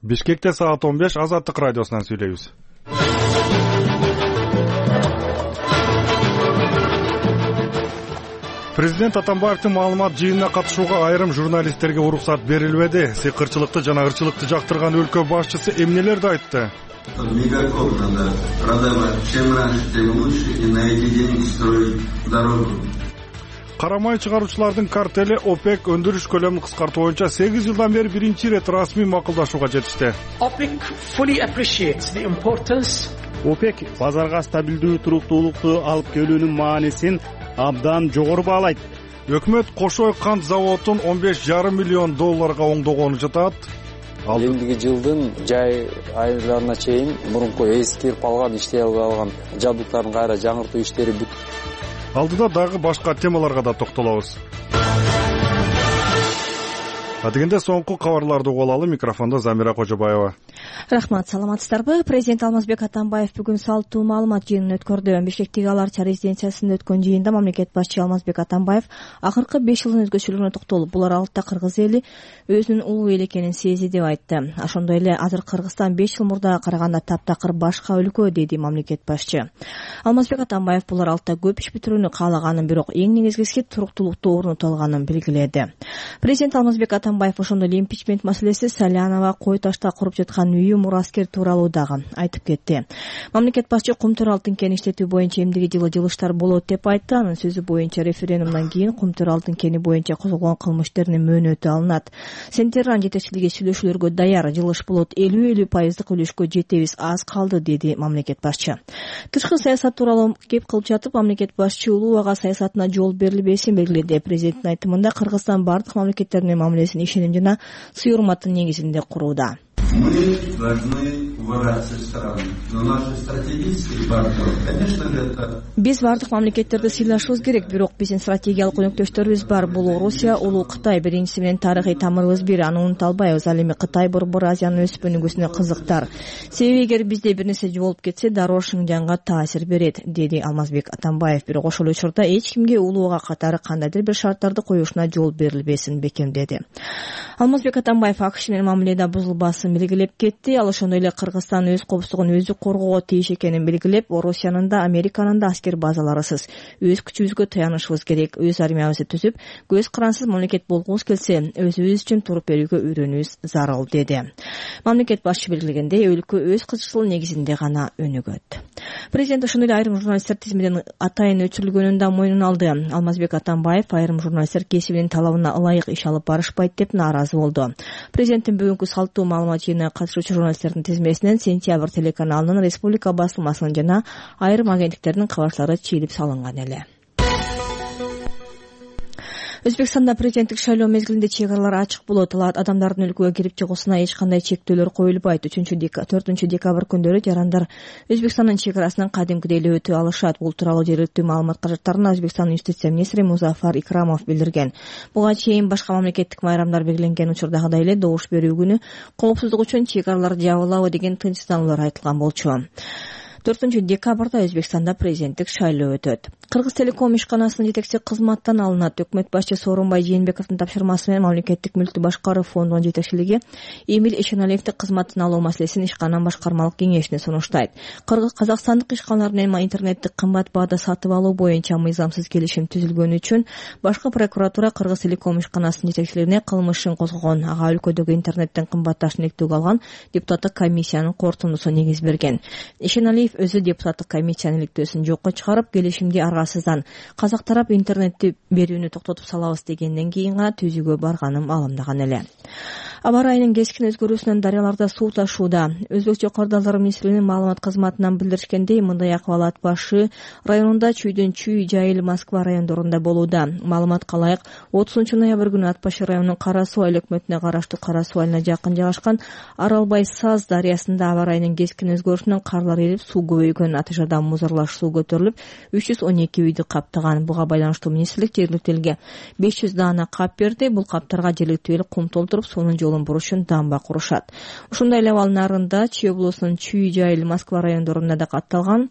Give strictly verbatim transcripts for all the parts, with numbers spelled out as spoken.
Бишкекте саат он беш Азаттык радиосунан сүйлөйбүз. Президент Атамбаевдин маалымат жыйынына катышууга айрым журналисттерге уруксат берилбеди. Сыйкырчылыкты жана ырчылыкты жактырган өлкө башчысы эмнелерди айтты? Мегакоп надо продавать. Чем раньше, тем лучше, и на эти деньги строить дорогу. Карамай чыгаруучулардын картели ОПЕК өндүрүш көлөмүн кыскартуу боюнча сегиз жылдан бери биринчи ирет расмий макулдашууга жетишти. OPEC fully appreciates the importance. ОПЕК базарга стабилдүү туруктуулукту алып келүүнүн маанисин абдан жогору баалайт. Өкмөт Кошой кант заводун он беш жарым миллион долларга оңдогонун жатат. Элдиги жылдын жай айларына чейин мурунку эскирип калган, иштей албай калган жабдыктардын кайра жаңыртуу иштери бүт. Алдыда дагы башка темаларга да токтолобуз. Адегенде соңку кабарларды угуп алалы. Микрофондо Замира Кожобаева. Рахмат, саламатсыздарбы? Президент Алмазбек Атамбаев бүгүн салттуу маалымат жыйынын өткөрдү. Бишкектеги Аларча резиденциясында өткөн жыйында мамлекет башчы Алмазбек Атамбаев акыркы беш жылдын өзгөчөлүгүнө токтолуп, булар алытта кыргыз эли өзүнүн улуу эл экенин сезди деп айтты. Ошондой эле азыр Кыргызстан беш жыл мурдага караганда таптакыр башка өлкө, деди мамлекет башчы. Алмазбек Атамбаев булар алытта көп иш бүтүрүүнү каалаганын, бирок эң негизгиси туруктуулукту орното алганын белгиледи. Президент Алмазбек Атамбаев ошондой эле импичмент маселеси, Салянова кой ташта куруп жаткан үйү, мураскер тууралуу дагы айтып кетти. Мамлекет башчы Кумтөр алтын кенин иштетүү боюнча эмдиги жылы жылыштар болот деп айтты. Анын сөзү боюнча референдумдан кийин Кумтөр алтын кени боюнча козголгон кылмыш иштеринин мөөнөтү алынат. Сентерран жетекчилиги сүйлөшүүлөргө даяр, жылыш болот, элүү элүү пайыздык үлүшкө жетебиз, аз калды, деди мамлекет башчы. Тышкы саясат тууралуу кеп кылып жатып, мамлекет башчы улуу ага саясатына жол берилбесин белгиледи. Президенттин айтымында Кыргызстан бардык мамлекеттердин мамилесин ишеним жана сый урматтын негизинде курууда. Мы должны уважать все страны, но наши стратегические партнеры, конечно, это... Биз бардык мамлекеттерди сыйлашыбыз керек, бирок биздин стратегиялык өнөктөштөрүбүз бар. Бул Орусия, улуу Кытай. Биринчиси менен тарыхый тамырыбыз бир, аны унута албайбыз. Ал эми Кытай борбор Азиянын өсүп өнүгүүсүнө кызыктар. Себеби эгер бизде бир нерсе жоголуп кетсе, дароо Шинжаңга таасир берет, деди Алмазбек Атамбаев. Бирок ошол учурда эч кимге улууга катары кандайдыр бир шарттарды коюшуна жол берилбесин бекемдеди. Алмазбек Атамбаев АКШ менен мамиледе бузулбасын белгилеп кетти. Ал ошондой эле Кыргызстан өз коопсуздугун өзү коргоого тийиш экенин белгилеп, Орусиянын да, Американын да аскер базаларысыз өз күчүбүзгө таянышыбыз керек. Өз армиябызды түзүп, көз карансыз мамлекет болгубуз келсе, өзүбүз үчүн туруп берүүгө үйрөнүүбүз зарыл, деди. Мамлекет башчы белгилегендей, өлкө өз кызыкчылыгы негизинде гана өнүгөт. Президент ошондой эле айрым журналисттер тизмеден атайын өчүрүлгөнүн да мойнуна алды. Алмазбек Атамбаев айрым журналисттер кесибинин талабына ылайык иш алып барышпайт деп нааразы болду. Президенттин бүгүнкү салттуу маалымат жыйынына катышуучу журналисттердин тизмесинен Сентябрь телеканалынын, Республика басылмасынын жана айрым агенттиктердин кабарчылары чийилип салынган эле. Өзбекстанда президенттик шайлоо мезгилинде чек аралар ачык болот. Адамдардын өлкөгө кирип чыгуусуна эч кандай чектөөлөр коюлбайт. төртүнчү декабрь күндөрү жарандар Өзбекстандын чек арасынан кадимкидей эле өтө алышат. Бул тууралуу жергиликтүү маалымат каражаттарына Өзбекстандын юстиция министри Музафар Икрамов билдирген. Буга чейин башка мамлекеттик майрамдар белгиленген учурдагыдай эле добуш берүү күнү коопсуздук үчүн чек аралар жабылабы деген тынчсыздануулар айтылган болчу. төртүнчү декабрда Өзбекстанда президенттик шайлоо өтөт. Кыргыз телеком ишканасынын жетекчиси кызматтан алынат. Өкмөт башчы Сооронбай Жээнбековдун тапшырмасы менен мамлекеттик мүлктү башкаруу фондунун жетекчилиги Эмиль Эшеналиевди кызматтан алуу маселесин ишкананын башкармалык кеңешине сунуштайт. Кыргыз казакстандык ишканалар менен интернетти кымбат баада сатып алуу боюнча мыйзамсыз келишим түзүлгөнү үчүн башкы прокуратура Кыргыз телеком ишканасынын жетекчилигине кылмыш ишин козгогон. Ага өлкөдөгү интернеттин кымбатташын иликтөөгө алган депутаттык комиссиянын корутундусу негиз берген. Эшеналиев өзү депутаттык комиссиянын иликтөөсүн жокко чыгарып, келишимди аргасыздан казак тарап интернетти берүүнү токтотуп салабыз дегенден кийин гана түзүүгө барганым алымдаган эле. Аба ырайынын кескин өзгөрүүсүнөн дарыяларда суу ташууда. Өзбек жок кардалдар министрлигинин маалымат кызматынан билдиришкендей, мындай акыбал башы районунда Чүйдөн Чүй, Жайыл, Москва райондорунда болууда. Маалыматка ылайык, отузунчу ноябрь күнү Ат башы районунун Кара Суу айыл өкмөтүнө караштуу Кара Суу айылына жакын жайгашкан Аралбай Саз дарыясында аба ырайынын кескин өзгөрүүсүнөн карлар эрип, суу көбөйгөн. Аты жадан музарлаш суу көтөрүлүп, үч жүз он эки үйдү каптаган. Буга байланыштуу министрлик жергиликтүү элге беш жүз даана кап берди. Бул каптарга жергиликтүү эл кум толтуруп, суунун жолун бурушун дамба курушат. Ошондой эле абал нарында Чүй облусунун Чүй, Жайыл, Москва райондорунда да катталган.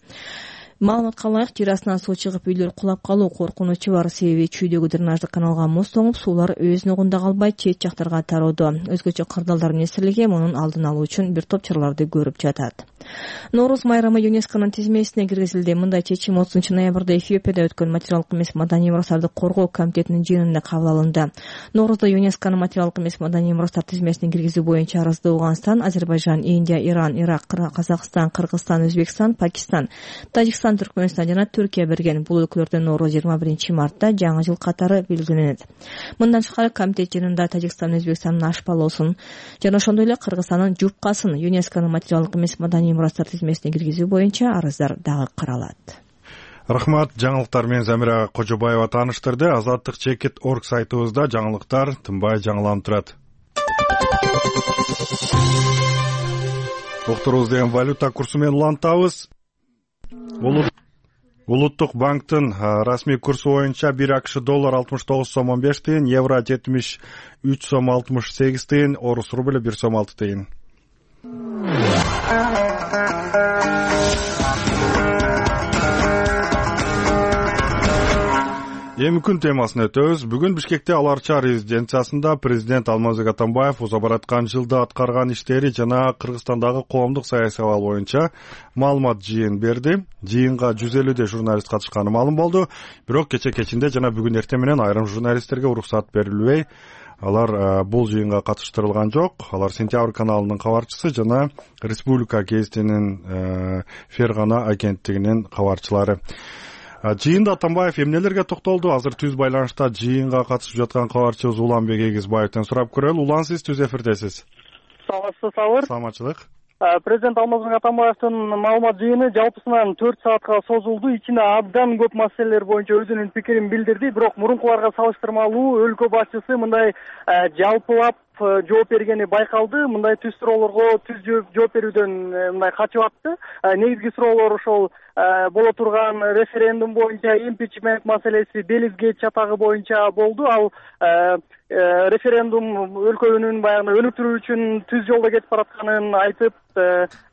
Маалыматка ылайык, жер астынан суу чыгып үйлөр кулап калуу коркунучу бар. Себеби чүйдөгү дренаждык каналга муз тоңуп, суулар өз нугунда калбай чет жактарга тароодо. Өзгөчө кырдаалдар министрлиги мунун алдын алуу үчүн бир топ чараларды көрүп жатат. Нооруз майрамы ЮНЕСКОнун тизмесине киргизилди. Мындай чечим отузунчу ноябрда Эфиопияда өткөн материалдык эмес маданий мурастарды коргоо комитетинин жыйынында кабыл алынды. Ноорузда ЮНЕСКонун материалдык эмес маданий мурастар тизмесине киргизүү боюнча арызды Аугандстан, Азербайжан, Индия, Иран, Ирак, Казакстан, Кыргызстан, Өзбекстан, Пакистан, Тажикстан, Түркмөнстан жана Түркия берген. Бул өлкөлөрдө нооруз жыйырма биринчи мартта жаңы жыл катары белгиленет. Мындан тышкары комитет жыйынында Тажикстан, Өзбекстандын ашпалоосун жана ошондой эле Кыргызстандын жупкасын ЮНЕСКонун материалдык эмес маданий мурастар тизмесине киргизүү боюнча арыздар дагы каралат. Рахмат. Жаңылыктар менен Замира Кожобаева тааныштырды. Азаттык чекит точка орг сайтыбызда жаңылыктар тынбай жаңыланып турат. Уктурубуз деген валюта курсу менен улантабыз. Улуттук банктын расмий курсу боюнча бир АКШ доллар алтымыш тогуз сом он беш тыйын, евро жетимиш үч сом алтымыш сегиз тыйын, орус рубль бир сом алты тыйын. Эми күн темасына өтөбүз. Бүгүн Бишкекте Ал Арча резиденциясында президент Алмазбек Атамбаев уза бараткан жылда аткарган иштери жана Кыргызстандагы коомдук саясий абал боюнча маалымат жыйын берди. Жыйынга жүз элүүдөй журналист катышканы маалым болду. Бирок кече кечинде жана бүгүн эртең менен айрым журналисттерге уруксат берилбей, алар бул жыйынга катыштырылган жок. Алар Сентябрь каналынын кабарчысы жана Республика гезитинин Фергана агенттигинин кабарчылары. Жыйында Атамбаев эмнелерге токтолду? Азыр түз байланышта жыйынга катышып жаткан кабарчыбыз Уланбек Эгизбаевден сурап көрөлү. Улан, сиз түз эфирдесиз. Саламатсыз, Сабыр. Саламатчылык. Президент Алмазбек Атамбаевдин маалымат жыйыны жалпысынан төрт саатка созулду. Ичинде абдан көп маселелер боюнча өзүнүн пикирин билдирди. Бирок мурункуларга салыштырмалуу өлкө башчысы мындай жалпылап жооп бергени байкалды. Мындай түз суроолорго түз жооп берүүдөн мындай качып атты. Негизги суроолор ошол боло турган референдум боюнча, импичмент маселеси, Белизгейт чатагы боюнча болду. Ал референдум өлкөнүн баягы өнүктүрүү үчүн түз жолдо кетип баратканын айтып,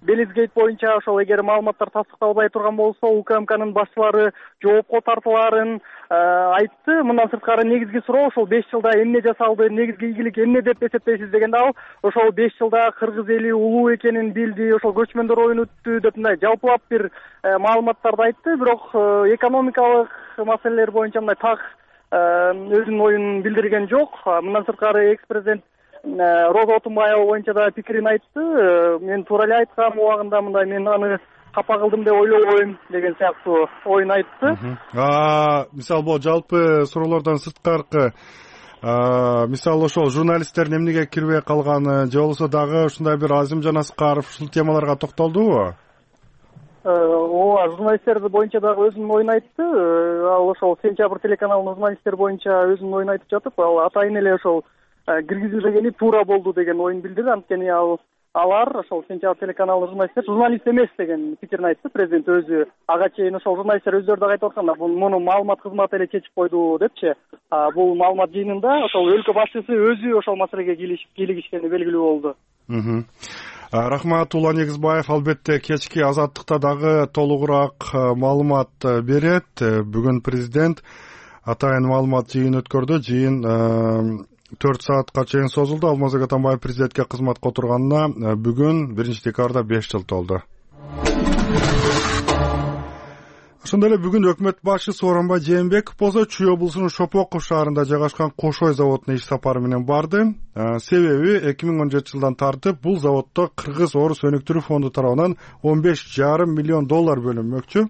Белизгейт боюнча ошол эгер маалыматтар тастыкталбай турган болсо, УКМКнын башчылары жоопко тартылаарын айтты. Мындан сырткары негизги суроо ошол беш жылда эмне жасалды, негизги ийгилик эмне деп эсептейсиз дегенде ал ошол беш жылда кыргыз эли улуу экенин билди, ошол көчмөндөр оюн өттү деп мындай жалпылап бир маалыматтарды айтты. Бирок экономикалык маселелер боюнча мындай так өзүнүн оюн билдирген жок. Мындан сырткары экс-президент Роза Отунбаева боюнча да пикирин айтты. Мен туура эле айткам убагында, мындай мен аны капа кылдым деп ойлобойм деген сыяктуу оюн айтты. Мисалы бул жалпы суроолордон сырткаркы мисалы ошол журналисттердин эмнеге кирбей калганы же болбосо дагы ушундай бир Азимжан Аскаров ушул темаларга токтолдубу? Ооба, журналисттер боюнча дагы өзүнүн оюн айтты. Ал ошол Сентябрь телеканалынын журналисттер боюнча өзүнүн оюн айтып жатып, ал атайын эле ошол киргизилбегени туура болду деген оюн билдирди. Анткени ал алар ошол Сентябрь телеканалынын журналисттер журналист эмес деген пикирин айтты. Президент өзү ага чейин ошол журналисттер өздөрү дагы айтып атканда, муну маалымат кызматы эле чечип койду депчи. Бул маалымат жыйынында ошол өлкө башчысы өзү ошол маселеге кийлигишкени белгилүү болду. Рахмат. Улан Эгизбаев албетте кечки Азаттыкта дагы толугураак маалымат берет. Бүгүн президент атайын маалымат жыйын өткөрдү. Жыйын төрт саатка чейин созулду. Алмазбек Атамбаев президентке кызматка отурганына бүгүн биринчи декабрда беш жыл толду. Ошондой эле бүгүн өкмөт башчысы Сооронбай Жээнбеков болсо Чүй облусунун Шопоков шаарында жайгашкан Кошой заводуна иш сапары менен барды. Себеби эки миң он жетинчи жылдан тартып бул заводдо Кыргыз Орус өнүктүрүү фонду тарабынан он беш жарым миллион доллар бөлүнмөкчү.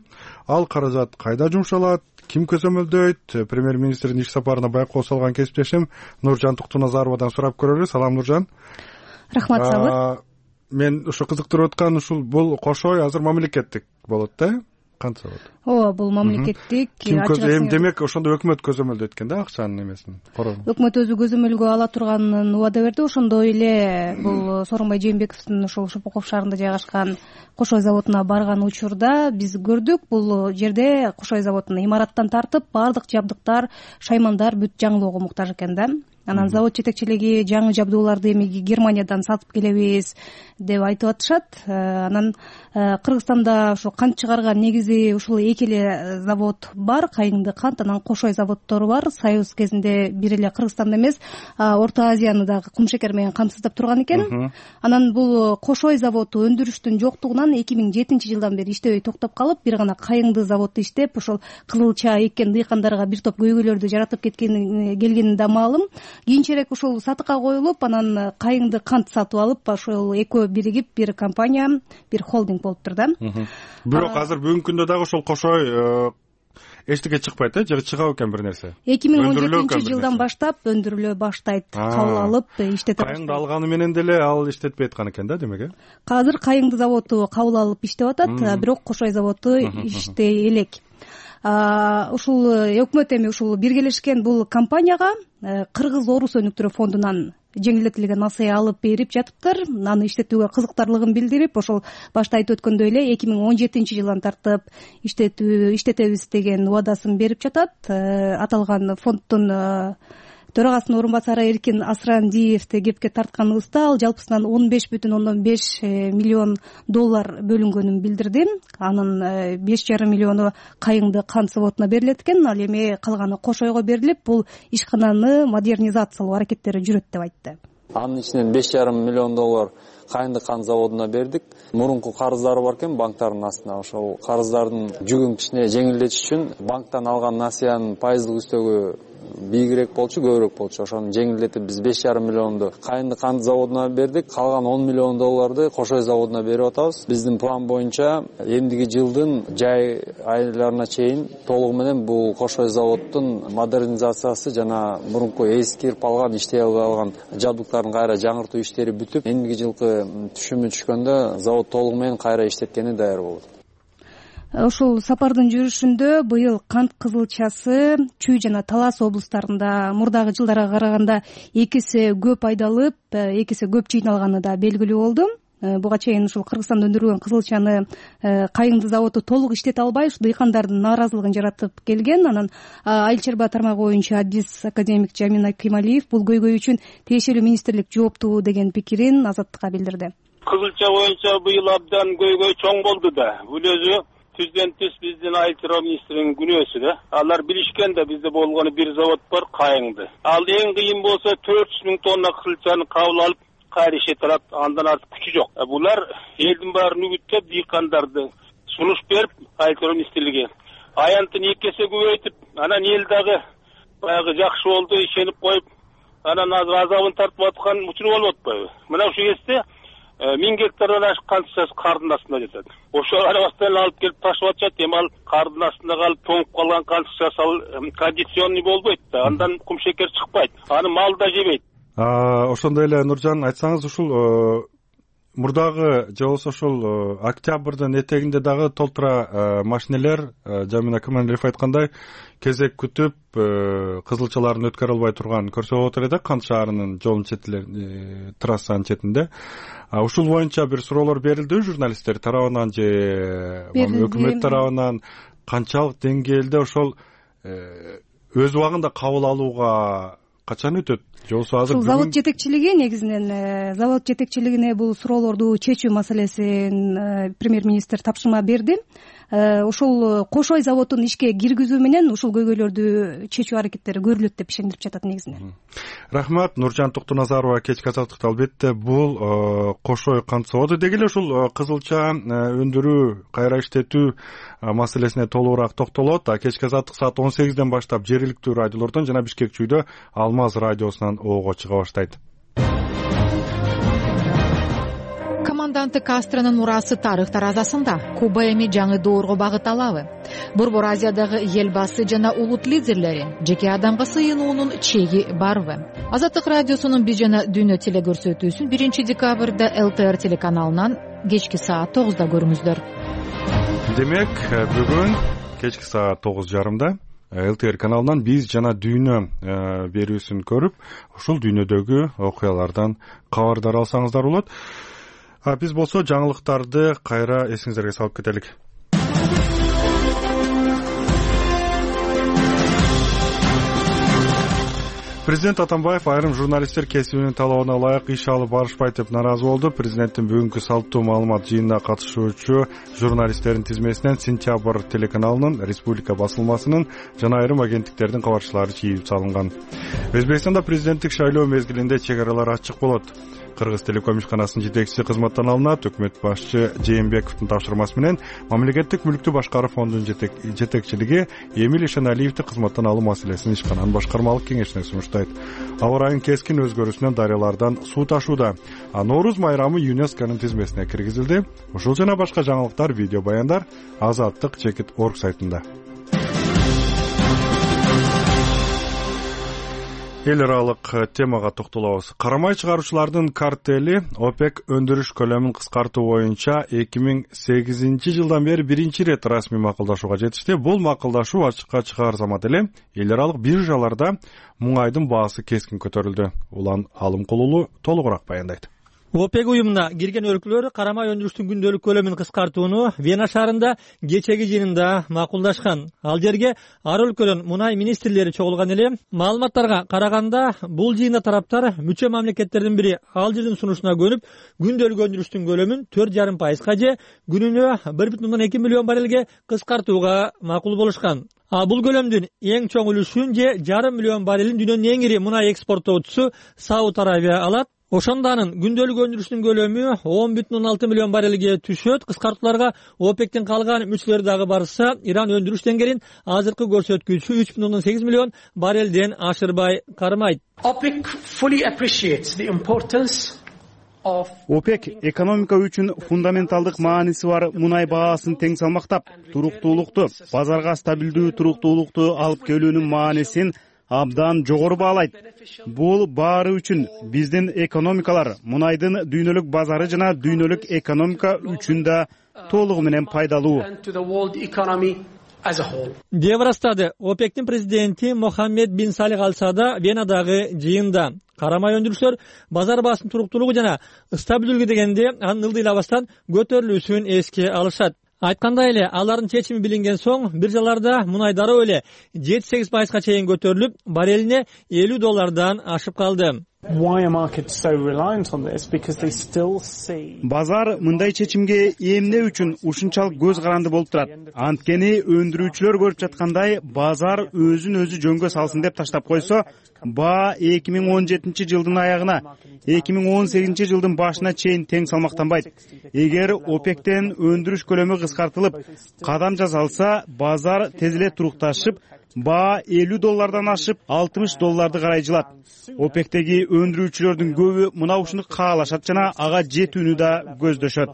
Ал каражат кайда жумшалат, ким көзөмөлдөйт? Премьер-министрдин иш сапарына байкоо салган кесиптешим Нуржан Туктуназаровадан сурап көрөлү. Салам, Нуржан. Рахмат, Сабыр. Мен ушу кызыктырып аткан ушул бул Кошой азыр мамлекеттик болот да? Канча болот? Ооба, бул мамлекеттик. Эми демек ошондо өкмөт көзөмөлдөйт экен да акчанын эмесин. Өкмөт өзү көзөмөлгө ала турганын убада берди. Ошондой эле бул Сооронбай Жээнбековдун ошол Шопоков шаарында жайгашкан Кошой заводуна барган учурда биз көрдүк. Бул жерде Кошой заводунун имараттан тартып баардык жабдыктар, шаймандар бүт жаңылоого муктаж экен да. анан завод жетекчилиги жаңы жабдууларды эми Германиядан сатып келебиз деп айтып атышат. Анан Кыргызстанда ошо кант чыгарган негизи ушул эки эле завод бар, Кайыңды кант, анан Кошой заводдору бар. Союз кезинде бир эле Кыргызстанда эмес, Орто Азияны дагы кумшекер менен камсыздап турган экен. Анан бул Кошой заводу өндүрүштүн жоктугунан эки миң жетинчи жылдан бери иштебей токтоп калып, бир гана Кайыңды заводу иштеп, ошол кызыл чаа эккен дыйкандарга бир топ көйгөйлөрдү жаратып кеткени келгени да маалым. Кийинчерээк ушул сатыкка коюлуп, анан Кайыңды кант сатып алып, ошол экөө биригип бир компания, бир холдинг болуптур да. Бирок азыр бүгүнкү күндө дагы ошол Кошой эчтеке чыкпайт э, же чыга экен бир нерсе? эки миң он жетинчи жылдан баштап өндүрүлө баштайт, кабыл алып иштете баштайт. Кайыңды алганы менен деле ал иштетпей аткан экен да, демек э? Азыр Кайыңды заводу кабыл алып иштеп атат, бирок Кошой заводу иштей элек. Ушул өкмөт эми ушул биргелешкен бул компанияга Кыргыз Орус өнүктүрүү фондунан жеңилдетилген насыя алып берип жатыптыр. Аны иштетүүгө кызыктарлыгын билдирип, ошол башта айтып өткөндөй эле эки миң он жетинчи жылдан тартып иштетүү иштетебиз деген убадасын берип жатат. Аталган фонддун төрагасынын орун басары Эркин Асрандиевди кепке тартканыбызда ал жалпысынан он беш бүтүн ондон беш миллион доллар бөлүнгөнүн билдирди. Анын беш жарым миллиону Кайыңды кант заводуна берилет экен, ал эми калганы Кошойго берилип, бул ишкананы модернизациялоо аракеттери жүрөт деп айтты. Анын ичинен беш жарым миллион доллар Кайыңды кант заводуна бердик. Мурунку карыздары бар экен банктардын астына. Ошол карыздардын жүгүн кичине жеңилдетиш үчүн банктан алган насыянын пайыздык үстөгү бийигирээк болчу, көбүрөөк болчу. Ошону жеңилдетип биз беш жарым миллионду Кайыңды кант заводуна бердик. Калган он миллион долларды Кошой заводуна берип атабыз. Биздин план боюнча эмдиги жылдын жай айларына чейин толугу менен бул Кошой заводдун модернизациясы жана мурунку эскирип алган, иштей албай алган жабдыктарын кайра жаңыртуу иштери бүтүп, эмдиги жылкы түшүмү түшкөндө завод толугу менен кайра иштеткени даяр болот. Ушул сапардын жүрүшүндө быйыл кант кызылчасы Чүй жана Талас облустарында мурдагы жылдарга караганда эки эсе көп айдалып, эки эсе көп жыйналганы да белгилүү болду. Буга чейин ушул Кыргызстанда өндүрүлгөн кызылчаны Кайыңды заводу толук иштете албай, ушу дыйкандардын нааразылыгын жаратып келген. Анан Айыл чарба тармагы боюнча адис академик Жамин Акималиев бул көйгөй үчүн тиешелүү министрлик жооптуу деген пикирин Азаттыкка билдирди. Кызылча боюнча быйыл абдан көйгөй чоң болду да. Бул өзү түздөн түз биздин айыл чарба министринин күнөөсү да. Алар билишкен да бизде болгону бир завод бар, Кайыңды. Ал эң кыйын болсо төрт жүз миң тонна кызылчаны кабыл алып кайра иштете алат, андан артык күчү жок. Булар элдин баарын үгүттөп, дыйкандарды сунуш берип, айыл чарба министрлиги аянтын эки эсе көбөйтүп, анан эл дагы баягы жакшы болду, ишенип коюп, анан азыр азабын тартып аткан учуру болуп атпайбы? Мына ушул кезде миң гектардан ашык кант кардын астында жатат. Ошо арабастан алып келип ташып атышат, эми ал кардын астында калып тоңуп калган кант ал кондиционный болбойт да, андан кумшекер чыкпайт, аны мал да жебейт. Ошондой эле Нуржан, айтсаңыз, ушул мурдагы же болбосо ушул октябрдын этегинде дагы толтура машинелер Жамин Акималиев айткандай кезек күтүп кызылчаларын өткөрө албай турган көрсө болот эле да, Кант шаарынын жолун четилер, трассанын четинде. Ушул боюнча бир суроолор берилди журналисттер тарабынан же өкмөт тарабынан, канчалык деңгээлде ошол өз убагында кабыл алууга качан өтөт? Же болбосо азыр ушул завод жетекчилиги негизинен завод жетекчилигине бул суроолорду чечүү маселесин премьер-министр тапшырма берди. Ушул Кошой заводун ишке киргизүү менен ушул көйгөйлөрдү чечүү аракеттери көрүлөт деп ишендирип жатат негизинен. Рахмат. Нуржан Токтоназарова кечки азаттыкта. Албетте бул Кошой кант заводу деги эле ушул кызылча өндүрүү, кайра иштетүү маселесине толугураак токтолот. Кечки азаттык саат он сегизден баштап жергиликтүү радиолордон жана Бишкек чүйдө Алмаз радиосунан оого чыга баштайт. Команданты Кастронун мурасы тарых таразасында. Куба эми жаңы доорго багыт алабы? Борбор Азиядагы эл басы жана улут лидерлери жеке адамга сыйынуунун чеги барбы? Азаттык радиосунун бир жана дүйнө телекөрсөтүүсүн биринчи декабрда эл тэ эр телеканалынан кечки саат тогузда көрүңүздөр. Демек, бүгүн кечки саат тогуз жарымда эл тэ эр каналынан биз жана дүйнө берүүсүн көрүп, ушул дүйнөдөгү окуялардан кабардар алсаңыздар болот. А биз болсо жаңылыктарды кайра эсиңиздерге салып кетелик. Президент Атамбаев айрым журналисттер кесибинин талабына ылайык иш алып барышпайт деп нааразы болду. Президенттин бүгүнкү салттуу маалымат жыйынына катышуучу журналисттердин тизмесинен Сентябрь телеканалынын, Республика басылмасынын жана айрым агенттиктердин кабарчылары чийип салынган. Өзбекстанда президенттик шайлоо мезгилинде чек аралар ачык болот. Кыргыз телеком ишканасынын жетекчиси кызматтан алынат. Өкмөт башчы Жээнбековдун тапшырмасы менен мамлекеттик мүлктү башкаруу фондунун жетекчилиги Эмиль Ишаналиевди кызматтан алуу маселесин ишкананын башкармалык кеңешине сунуштайт. Аба ырайынын кескин өзгөрүүсүнөн дарыялардан суу ташууда. А Нооруз майрамы ЮНЕСКОнун тизмесине киргизилди. Ушул жана башка жаңылыктар, видео баяндар азаттык чекит точка орг сайтында. Эл аралык темага токтолобуз. Карамай чыгаруучулардын картели ОПЕК өндүрүш көлөмүн кыскартуу боюнча эки миң сегизинчи жылдан бери биринчи ирет расмий макулдашууга жетишти. Бул макулдашуу ачыкка чыгаар замат эле эл аралык биржаларда муңайдын баасы кескин көтөрүлдү. Улан Алымкулулу толугураак баяндайт. ОПЕК уюмуна кирген өлкөлөр карамай өндүрүштүн күндөлүк көлөмүн кыскартууну Вена шаарында кечеги жыйынында макулдашкан. Ал жерге ар өлкөнүн мунай министрлери чогулган эле. Маалыматтарга караганда, бул жыйында тараптар мүчө мамлекеттердин бири Алжирдин сунушуна көнүп, күндөлүк өндүрүштүн көлөмүн төрт жарым пайызга же күнүнө бир бүтүн ондон эки миллион баррелге кыскартууга макул болушкан. А бул көлөмдүн эң чоң үлүшүн же жарым миллион баррелин дүйнөнүн эң ири мунай экспорттоочусу Сауд Арабия алат. Ошондо анын күндөлүк өндүрүштүн көлөмү он бүтүн он алты миллион баррелге түшөт. Кыскартууларга ОПЕКтин калган мүчөлөрү дагы барса, Иран өндүрүш деңгээлин азыркы көрсөткүчү үч бүтүн ондон сегиз миллион баррелден ашырбай кармайт. OPEC fully appreciates the importance ОПЕК экономика үчүн фундаменталдык мааниси бар мунай баасын тең салмактап, туруктуулукту, базарга стабилдүү туруктуулукту алып келүүнүн маанисин абдан жогору баалайт. Бул баары үчүн биздин экономикалар мунайдын дүйнөлүк базары жана дүйнөлүк экономика үчүн да толугу менен пайдалуу деп ырастады ОПЕКтин президенти Мохаммед бин Салих Аль Саада Венадагы жыйында. Карамай өндүрүштөр базар баасынын туруктуулугу жана стабилдүүлүгү дегенде анын ылдыйлабастан көтөрүлүүсүн эске алышат. Айткандай эле, алардын чечими билинген соң биржаларда мунай дароо эле жети сегиз пайызга чейин көтөрүлүп, баррелине элүү доллардан ашып калды. Базар мындай чечимге эмне үчүн ушунчалык көз каранды болуп турат? Анткени өндүрүүчүлөр көрүп жаткандай, базар өзүн өзү жөнгө салсын деп таштап койсо, баа эки миң он жетинчи жылдын аягына, эки миң он сегизинчи жылдын башына чейин тең салмактанбайт. Эгер ОПЕКтен өндүрүш көлөмү кыскартылып, кадам жасалса, базар тез эле турукташып, баа элүү доллардан ашып, алтымыш долларды карай жылат. ОПЕКтеги өндүрүүчүлөрдүн көбү мына ушуну каалашат жана ага жетүүнү да көздөшөт.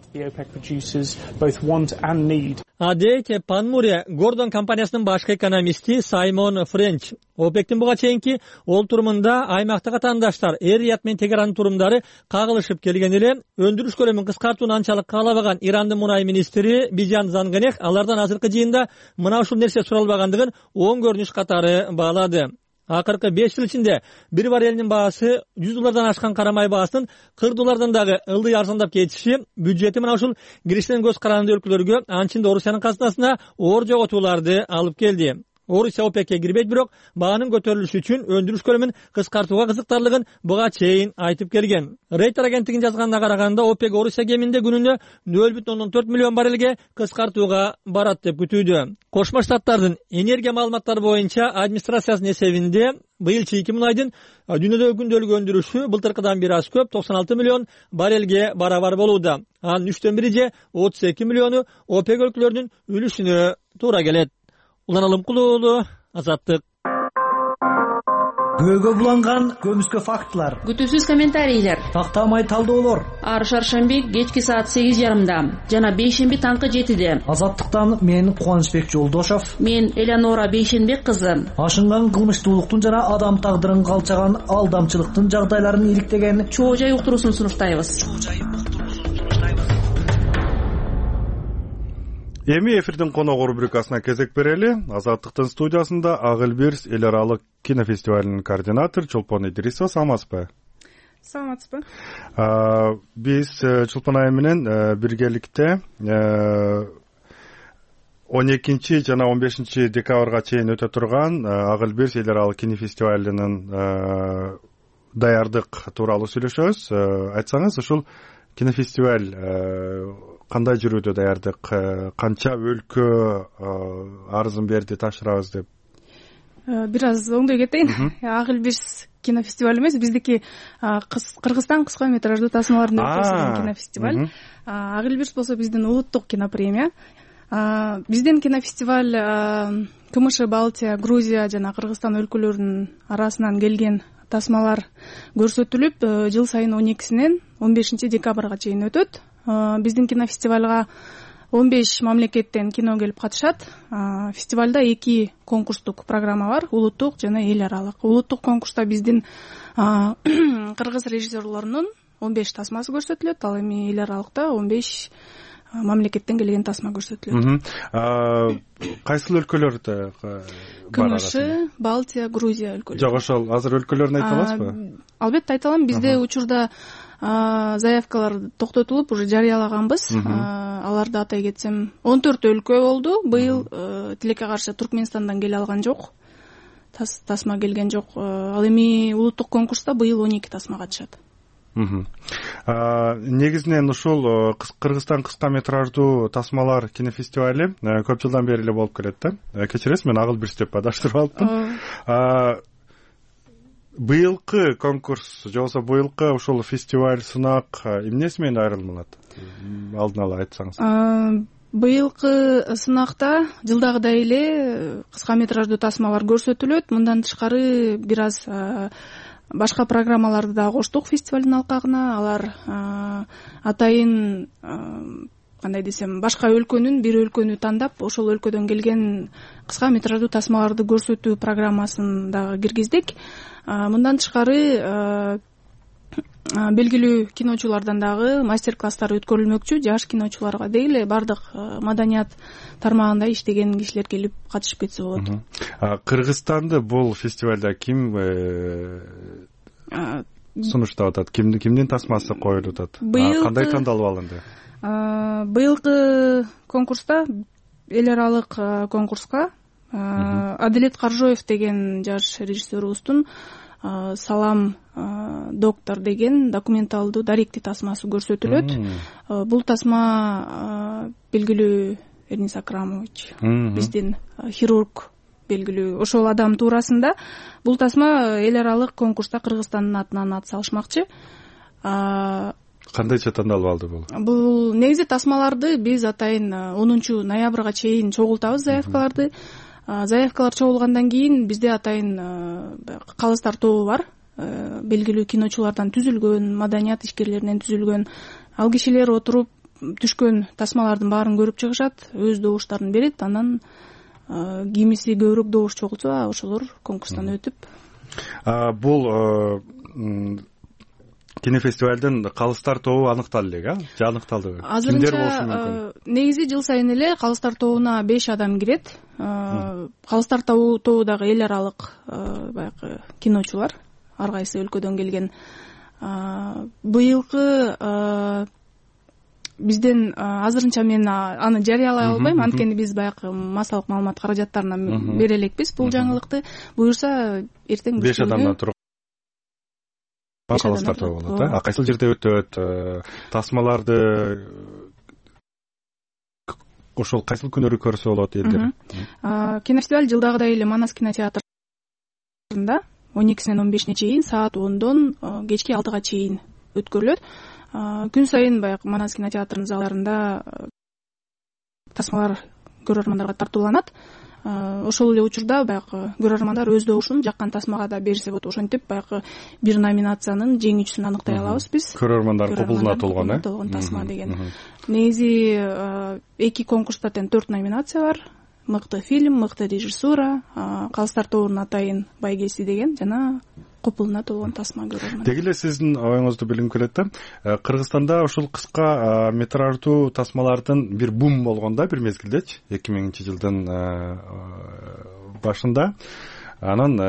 Адек Панмуре Гордон компаниясынын башкы экономисти Саймон Френч ОПЕКтин буга чейинки олтурумунда аймактагы атаандаштар Эр-Рияд менен Тегеранын турумдары кагылышып келген эле. Өндүрүш көлөмүн кыскартууну анчалык каалабаган Ирандын мунай министри Бижан Занганех алардан азыркы жыйында мына ушул нерсе суралбагандыгын оң көрүнүш катары баалады. Акыркы беш жыл ичинде бир баррелинин баасы жүз доллардан ашкан карамай баасынын кырк доллардан дагы ылдый арзандап кетиши бюджети мына ушул кириштен көз каранды өлкөлөргө, анчында Орусиянын казынасына оор жоготууларды алып келди. Орусия ОПЕКке кирбейт, бирок баанын көтөрүлүшү үчүн өндүрүш көлөмүн кыскартууга кызыктарлыгын буга чейин айтып келген. Рейтер агенттигинин жазганына караганда, ОПЕК Орусия кеминде күнүнө нөл бүтүн ондон төрт миллион баррелге кыскартууга барат деп күтүүдө. Кошмо Штаттардын энергия маалыматтары боюнча администрациясынын эсебинде быйыл чийки мунайдын дүйнөдөгү күндөлүк өндүрүшү былтыркыдан бир аз көп токсон алты миллион баррелге барабар болууда. Анын үчтөн бири же отуз эки миллиону ОПЕК өлкөлөрүнүн үлүшүнө туура келет. Улан Алымкулулу, Азаттык. Көйгө буланган көмүскө фактылар. Күтүүсүз комментарийлер. Тактамай талдоолор. Ар шаршемби кечки саат сегиз жарымда жана бейшемби таңкы жетиде. Азаттыктан мен Кубанычбек Жолдошов. Мен Элеонора Бейшенбек кызы. Ашынган кылмыштуулуктун жана адам тагдырын калчаган алдамчылыктын жагдайларын иликтеген чоо жай уктуруусун сунуштайбыз. Эми эфирдин коногу рубрикасына кезек берели. Азаттыктын студиясында Агылбирс эл аралык кинофестивалынын координатору Чолпон Идрисова. Саламатсызбы? Саламатсызбы. Биз Чолпон айым менен биргеликте он экинчи жана он бешинчи декабрга чейин өтө турган Ак Элбирс эл аралык кинофестивалынын даярдык тууралуу сүйлөшөбүз. Айтсаңыз, ушул кинофестиваль кандай жүрүүдө даярдык, канча өлкө арызын берди тапшырабыз деп? Бир аз оңдой кетейин. Ак Элбирс кинофестиваль эмес, биздики Кыргызстан кыска метраждуу тасмаларын өткөрүлгөн кинофестиваль. Ак Элбирс болсо биздин улуттук кинопремия. Биздин кинофестиваль КМШ, Балтия, Грузия жана Кыргызстан өлкөлөрүнүн арасынан келген тасмалар көрсөтүлүп, жыл сайын он экисинен он бешинчи декабрга чейин өтөт. Биздин кинофестивалга он беш мамлекеттен кино келип катышат. Фестивалда эки конкурстук программа бар, улуттук жана эл аралык. Улуттук конкурста биздин кыргыз режиссерлорунун он беш тасмасы көрсөтүлөт, ал эми эл аралыкта он беш мамлекеттен келген тасма көрсөтүлөт. Кайсыл өлкөлөрдө бар? КМШ, Балтия, Грузия өлкөлөрү. Жок, ошол азыр өлкөлөрүн айта аласызбы? Албетте айта алам. Бизде учурда заявкалар токтотулуп, уже жарыялаганбыз. Аларды атай кетсем, он төрт өлкө болду. Быйыл тилекке каршы Туркменистандан келе алган жок. Тасма келген жок. Ал эми улуттук конкурста быйыл он эки тасма катышат. Негизинен ушул Кыргызстан кыска метраждуу тасмалар кинофестивали көп жылдан бери эле болуп келет да. Кечиресиз, мен Ак Элбирс деп адаштырып алыпмын. Быйылкы конкурс же болбосо быйылкы ушул фестиваль, сынак эмнеси менен айырылмалат? Алдын ала айтсаңыз. Быйылкы сынакта жылдагыдай эле кыска метраждуу тасмалар көрсөтүлөт. Мындан тышкары бир аз башка программаларды да коштук фестивалдын алкагына. Алар атайын, кандай десем, башка өлкөнүн, бир өлкөнү тандап, ошол өлкөдөн келген кыска метраждуу тасмаларды көрсөтүү программасын дагы киргиздик. Мындан тышкары белгилүү киночулардан дагы мастер-класстар өткөрүлмөкчү. Жаш киночуларга деги эле бардык маданият тармагында иштеген кишилер келип катышып кетсе болот. Кыргызстанды бул фестивалда ким сунуштап атат? Кимдин тасмасы коюлуп атат? Кандай тандалып алынды? Быйылкы конкурста, эл аралык конкурска Адилет Каржоев деген жаш режиссерубуздун Салам доктор деген документалдуу даректи тасмасы көрсөтүлөт. Бул тасма белгилүү Эрнис Акрамович, биздин хирург, белгилүү ошол адам туурасында. Бул тасма эл аралык конкурста Кыргызстандын атынан ат салышмакчы. Кандайча тандалып алды бул? Бул негизи тасмаларды биз атайын онунчу ноябрга чейин чогултабыз заявкаларды. Заявкалар чогулгандан кийин бизде атайын калыстар тобу бар. Белгилүү киночулардан түзүлгөн, маданият ишкерлеринен түзүлгөн. Ал кишилер отуруп түшкөн тасмалардын баарын көрүп чыгышат, өз добуштарын берет. Анан кимиси көбүрөөк добуш чогултса, ошолор конкурстан өтүп. Бул кинофестивалдын калыстар тобу аныкталды эле, же аныкталдыбы? Кимдер болушу мүмкүн? Негизи жыл сайын эле калыстар тобуна беш адам кирет. Калыстар тобу дагы эл аралык баягы киночулар, ар кайсы өлкөдөн келген. Быйылкы бизден азырынча мен аны жарыялай албайм, анткени биз баягы массалык маалымат каражаттарына бере элекпиз бул жаңылыкты. Буюрса эртең беш адамдан турган калыстар тобу болот, а кайсыл жерде өтөт? Тасмаларды ошол кайсыл күнөрү көрсө болот элдер? Кинофестиваль жылдагыдай эле Манас кинотеатрында он экисинен он бешине чейин, саат ондон кечки алтыга чейин өткөрүлөт. Күн сайын баягы Манас кинотеатрынын залдарында тасмалар көрөрмандарга тартууланат. Ошол эле учурда баягы көрөрмандар өз добушун жаккан тасмага да берсе болот. Ошентип баягы бир номинациянын жеңүүчүсүн аныктай алабыз биз. Көрөрмандар кубулуна толгон, э? Толгон тасма деген. Негизи эки конкурста тең төрт номинация бар. Мыкты фильм, мыкты режиссура, калыстар тобунун атайын байгеси деген жана купулуна толгон тасма көрөрмөн. Деги эле сиздин оюңузду билгим келет да. Кыргызстанда ушул кыска метраждуу тасмалардын бир бум болгон да бир мезгилдечи, эки миңинчи жылдын башында. Анан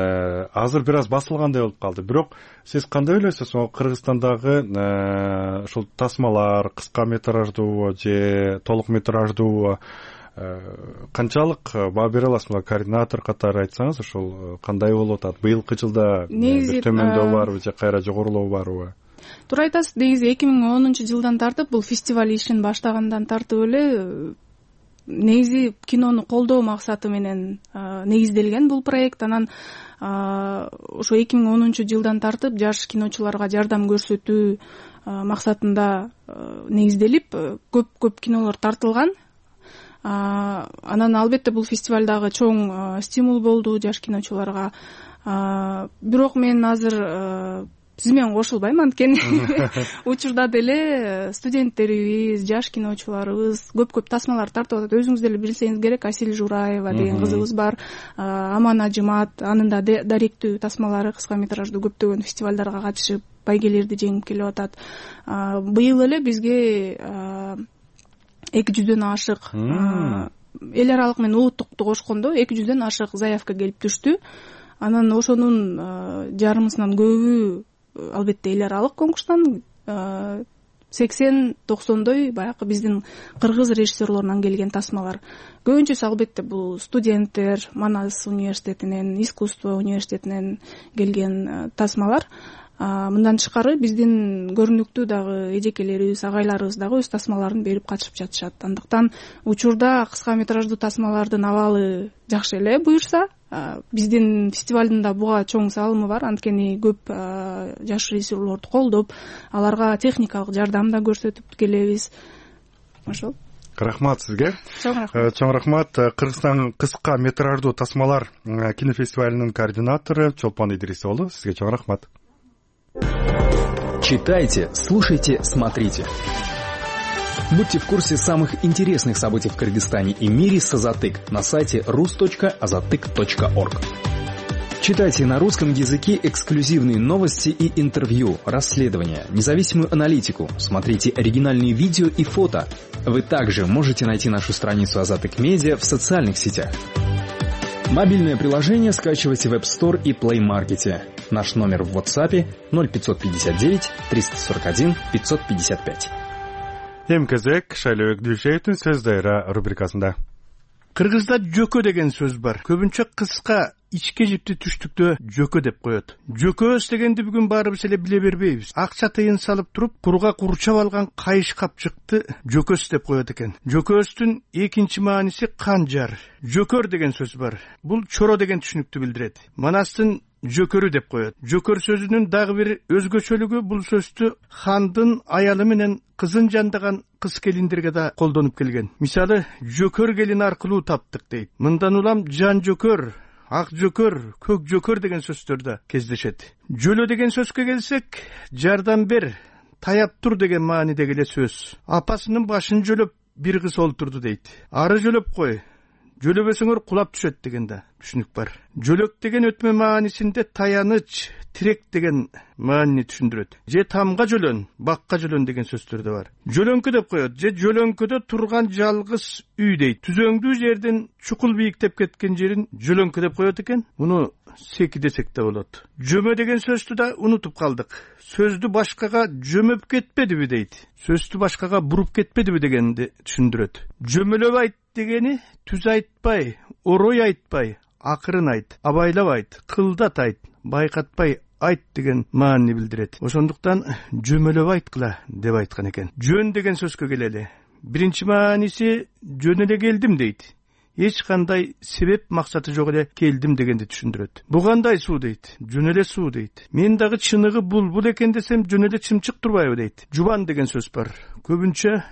азыр бир аз басылгандай болуп калды. Бирок сиз кандай ойлойсуз? Кыргызстандагы ушул тасмалар кыска метраждуу же толук метраждуу канчалык баа бере аласызбы? Координатор катары айтсаңыз, ошол кандай болуп атат? Быйылкы жылда бир төмөндөү барбы же кайра жогорулоо барбы? Туура айтасыз. Негизи эки миң онунчу жылдан тартып бул фестиваль ишин баштагандан тартып эле негизи кинону колдоо максаты менен негизделген бул проект. Анан ошо эки миң онунчу жылдан тартып жаш киночуларга жардам көрсөтүү максатында негизделип көп көп кинолор тартылган. Анан албетте бул фестиваль дагы чоң стимул болду жаш киночуларга. Бирок мен азыр сиз менен кошулбайм, анткени учурда деле студенттерибиз, жаш киночуларыбыз көп-көп тасмалар тартып атат. Өзүңүз деле билсеңиз керек, Асил Жураева деген кызыбыз бар, Аман Ажымат, анын да даректүү тасмалары кыска метраждуу көптөгөн фестивалдарга катышып байгелерди жеңип келип атат. Быйыл эле бизге эки жүздөн ашык эл аралык менен улуттукту кошкондо эки жүздөн ашык заявка келип түштү. Анан ошонун жарымысынан көбү албетте эл аралык конкурстан, сексен токсондой баягы биздин кыргыз режиссерлорунан келген тасмалар. Көбүнчөсү албетте бул студенттер, Манас университетинен, искусство университетинен келген тасмалар. Мындан тышкары биздин көрүнүктүү дагы эжекелерибиз, агайларыбыз дагы өз тасмаларын берип катышып жатышат. Андыктан учурда кыска метраждуу тасмалардын абалы жакшы эле буюрса, биздин фестивалдын да буга чоң салымы бар. Анткени көп жаш режиссерлорду колдоп, аларга техникалык жардам да көрсөтүп келебиз. Ошол. Рахмат сизге. Чоң рахмат. Чоң рахмат. Кыргызстан кыска метраждуу тасмалар кинофестивалинин координатору Чолпон Идрисов болду. Сизге чоң рахмат. Читайте, слушайте, смотрите. Будьте в курсе самых интересных событий в Кыргызстане и мире с Азатык на сайте рус точка азатык точка орг. Читайте на русском языке эксклюзивные новости и интервью, расследования, независимую аналитику, смотрите оригинальные видео и фото. Вы также можете найти нашу страницу Азатык Медиа в социальных сетях. Мобильное приложение скачивайте в App Store и Play Market. Наш номер в WhatsApp ноль пятьсот пятьдесят девять триста сорок один пятьсот пятьдесят пять. Эмкезек Шайлообек Дүйшеевдин сөз дайра рубрикасында. Кыргызда жөкө деген сөз бар. Көбүнчө кыска ичке жипти түштүктө жөкө деп коет. Жөкөс дегенди бүгүн баарыбыз эле биле бербейбиз. Акча тыйын салып туруп, курга курчап алган кайыш капчыкты жөкөс деп коет экен. Жөкөстүн экинчи мааниси канжар. Жөкөр деген сөз бар. Бул чоро деген түшүнүктү билдирет. Манастын жөкөрү деп коет. Жөкөр сөзүнүн дагы бир өзгөчөлүгү бул сөздү хандын аялы менен кызын жандаган кыз келиндерге да колдонуп келген. Мисалы, жөкөр келин аркылуу таптык дейт. Мындан улам жан жөкөр, ак жөкөр, көк жөкөр деген сөздөр да кездешет. Жөлө деген сөзгө келсек, жардам бер, таяп тур деген маанидеги эле сөз. Апасынын башын жөлөп бир кыз олтурду дейт. Ары жөлөп кой, жөлөбөсөңөр кулап түшөт деген да түшүнүк бар. Жөлөк деген өтмө маанисинде таяныч, тирек деген маанини түшүндүрөт. Же тамга жөлөн, бакка жөлөн деген сөздөр да бар. Жөлөңкү деп коет, же жөлөңкөдө турган жалгыз үй дейт. Түзөңдүү жерден чукул бийиктеп кеткен жерин жөлөңкү деп коет экен. Муну секи десек да болот. Жөмө деген сөздү да унутуп калдык. Сөздү башкага жөмөп кетпедиби дейт. Сөздү башкага буруп кетпедиби дегенди түшүндүрөт. Жөмөлөп айт дегени түз айтпай, орой айтпай, акырын айт, абайлап айт, кылдат айт, байкатпай айт деген маанини билдирет. Ошондуктан жөмөлөп айткыла деп айткан экен. Жөн деген сөзгө келели. Биринчи мааниси жөн эле келдим дейт. Эч кандай себеп максаты жок эле келдим дегенди түшүндүрөт. Бу кандай суу дейт? Жөн эле суу дейт. Мен дагы чыныгы булбул экен десем жөн эле чымчык турбайбы дейт. Жубан деген сөз бар. Көбүнчө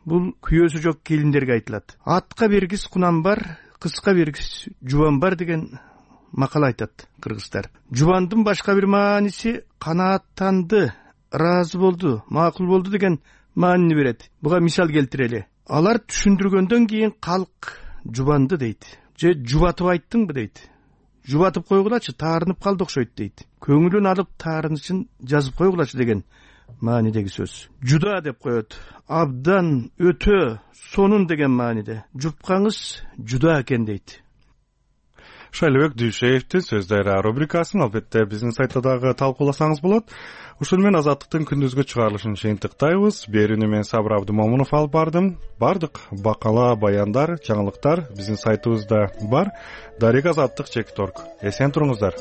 бул күйөөсү жок келиндерге айтылат. Атка бергис кунам бар, кызга бергис жубан бар деген макал айтат кыргыздар. Жубандын башка бир мааниси канааттанды, ыраазы болду, макул болду деген маанини берет. Буга мисал келтирели. Алар түшүндүргөндөн кийин калк жубанды дейт. Же жубатып айттыңбы дейт. Жубатып койгулачы, таарынып калды окшойт дейт. Көңүлүн алып таарынычын жазып койгулачы деген маанидеги сөз. Жуда деп коет. Абдан, өтө, сонун деген мааниде. Жупкаңыз жуда экен дейт. Шайлыбек Дүйшеевдин сөздөрү рубрикасын албетте биздин сайтта дагы талкууласаңыз болот. Ушул менен Азаттыктын күндүзгү чыгарылышын жыйынтыктайбыз. Берүүнү мен Сабыр Абдымомунов алып бардым. Бардык бакала баяндар, жаңылыктар биздин сайтыбызда бар. Дарек Азаттык чекит орг. Эсен туруңуздар.